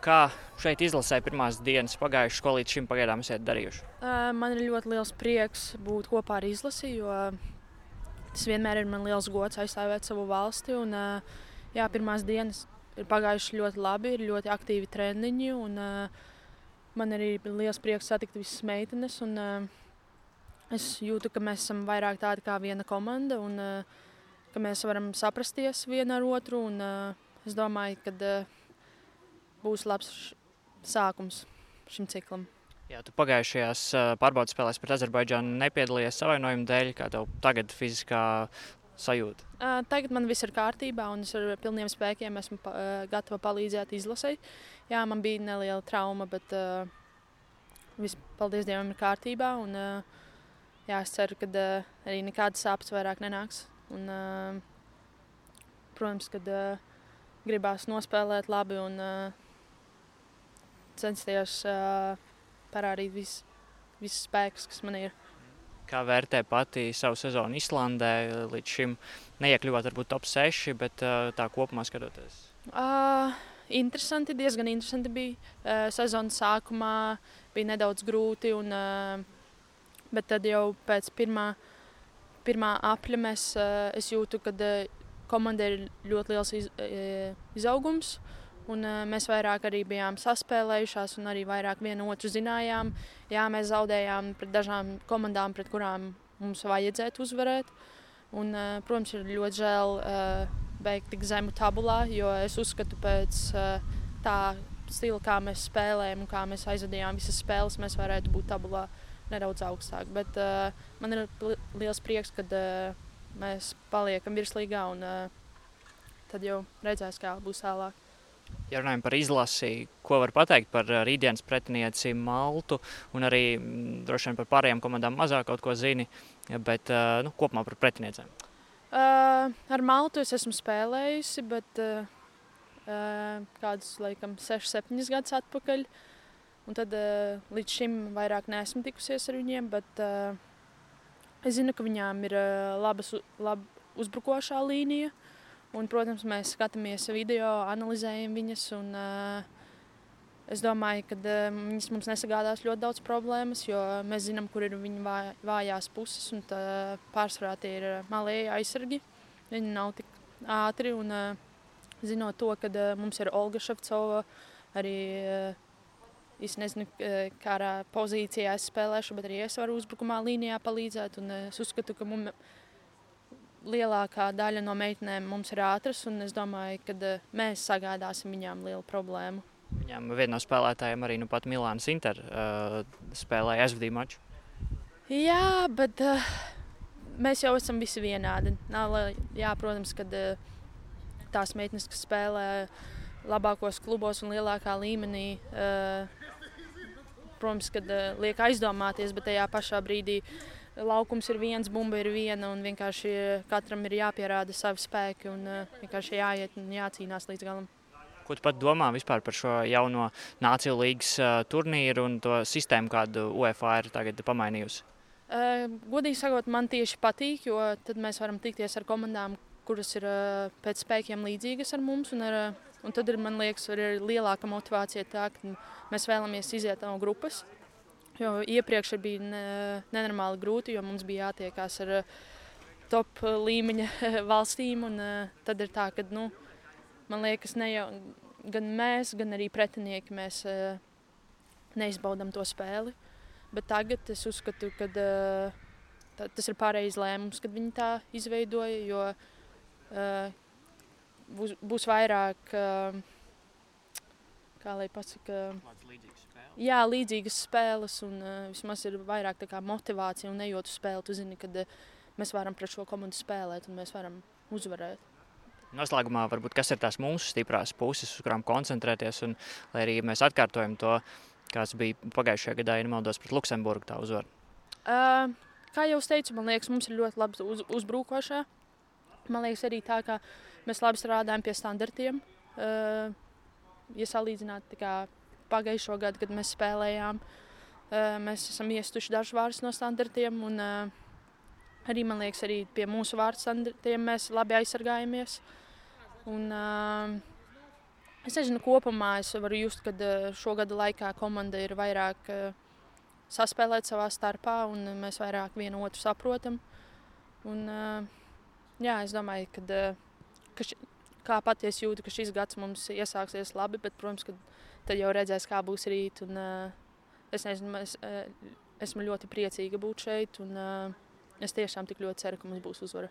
Kā šeit izlasē pirmās dienas pagājušas, ko līdz šim pagaidām esat darījuši? Man ir ļoti liels prieks būt kopā ar izlasi, jo tas vienmēr ir man liels gods aizstāvēt savu valsti. Pirmās dienas ir pagājušas ļoti labi, ir ļoti aktīvi treniņi. Man arī ir liels prieks satikt visas meitenes. Es jūtu, ka mēs esam vairāk tādi kā viena komanda un ka mēs varam saprasties viena ar otru. Es domāju, ka būs labs sākums šim ciklam. Jā, tu pagājušajās pārbaudas spēlēs pret Azerbaidžānu nepiedalījies savainojuma dēļ, kā tev tagad fiziskā sajūta? Tagad man viss ir kārtībā un es ar pilniem spēkiem esmu gatava palīdzēt izlasei. Jā, man bija neliela trauma, bet viss, paldies Dievam, ir kārtībā. Es ceru, ka arī nekādas sāpes vairāk nenāks. Protams, kad gribās nospēlēt labi un censties parādīt visus spēkus, kas man ir. Kā vērtē pati savu sezonu Islandē? Līdz šim neiekļuvāt varbūt top 6, bet tā kopumā skatoties? Diezgan interesanti bija. Sezonas sākumā bija nedaudz grūti, bet tad jau pēc pirmā apļa es jūtu, ka komandai ir ļoti liels izaugums. Mēs vairāk arī bijām saspēlējušās un arī vairāk vienu otru zinājām. Jā, mēs zaudējām pret dažām komandām, pret kurām mums vajadzētu uzvarēt. Protams, ir ļoti žēl beigt tik zemu tabulā, jo es uzskatu pēc tā stila, kā mēs spēlējam un kā mēs aizvadījām visas spēles, mēs varētu būt tabulā nedaudz augstāk. Bet man ir liels prieks, kad mēs paliekam virslīgā un tad jau redzēs, kā būs tālāk. Ja runājam par izlasi, ko var pateikt par rītdienas pretinieci Maltu un arī droši vien par pārējām komandām mazāk kaut ko zini, bet kopumā par pretiniecēm? Ar Maltu es esmu spēlējusi, bet kādus, laikam, 6-7 gadus atpakaļ. Un tad līdz šim vairāk neesmu tikusies ar viņiem, bet es zinu, ka viņām ir laba uzbrukošā līnija. Protams, mēs skatāmies video, analizējam viņas. Es domāju, ka viņas mums nesagādās ļoti daudz problēmas, jo mēs zinām, kur ir viņu vājās puses. Pārsvarā tie ir malēji aizsargi. Viņi nav tik ātri. Zinot to, ka mums ir Olga Ševcova, arī es nezinu, kādā pozīcijā es spēlēšu, bet arī es varu uzbrukumā līnijā palīdzēt. Es uzskatu, ka lielākā daļa no meitenēm mums ir ātras, un es domāju, ka mēs sagādāsim viņām lielu problēmu. Viņām viena no spēlētājiem arī pat Milānas Inter spēlēja aizvadīja maču. Jā, bet mēs jau esam visi vienādi. Protams, ka tās meitenes, kas spēlē labākos klubos un lielākā līmenī, protams, kad liek aizdomāties, bet tajā pašā brīdī laukums ir viens, bumba ir viena, un vienkārši katram ir jāpierāda savi spēki un vienkārši jāiet un jācīnās līdz galam. Ko tu pat domā vispār par šo jauno Nāciju līgas turnīru un to sistēmu, kādu UEFA ir tagad pamainījusi? Godīgi sakot, man tieši patīk, jo tad mēs varam tikties ar komandām, kuras ir pēc spēkiem līdzīgas ar mums. Un tad, man liekas, ir lielāka motivācija tā, ka mēs vēlamies iziet no grupas. Jo iepriekš bija nenormāli grūti, jo mums bija jātiekās ar top līmeņa valstīm. Tad ir tā, ka man liekas, ne jau gan mēs, gan arī pretinieki mēs neizbaudām to spēli. Bet tagad es uzskatu, ka tas ir pareizs lēmums, kad viņi tā izveidoja, jo būs vairāk, kā lai pasaka, līdzīgas spēles un vismaz ir vairāk tā kā motivācija un ejot uz spēli. Tu zini, kad mēs varam pret šo komandu spēlēt un mēs varam uzvarēt. Noslēgumā varbūt kas ir tās mūsu stiprās puses, uz kurām koncentrēties, un lai arī mēs atkārtojam to, kāds bija pagājušajā gadā, ja nemaldos, pret Luksemburgu tā uzvara. Kā jau es teicu, man liekas, mums ir ļoti labi uzbrukošā. Man liekas arī tā, ka mēs labi strādājam pie standartiem. Ja salīdzināt pagājušo gadu, kad mēs spēlējām, mēs esam iestuši dažus vārdus no standartiem. Arī, man liekas, arī pie mūsu vārdu standartiem mēs labi aizsargājamies. Es nezinu, kopumā es varu just, ka šo gadu laikā komanda ir vairāk saspēlēt savā starpā, un mēs vairāk vienu otru saprotam. Un, jā, es domāju, kā patiesi jūtu, ka šis gads mums iesāksies labi, bet, protams, ka tad jau redzēs, kā būs rīt. Un, es nezinu, esmu ļoti priecīga būt šeit, un es tiešām tik ļoti ceru, ka mums būs uzvara.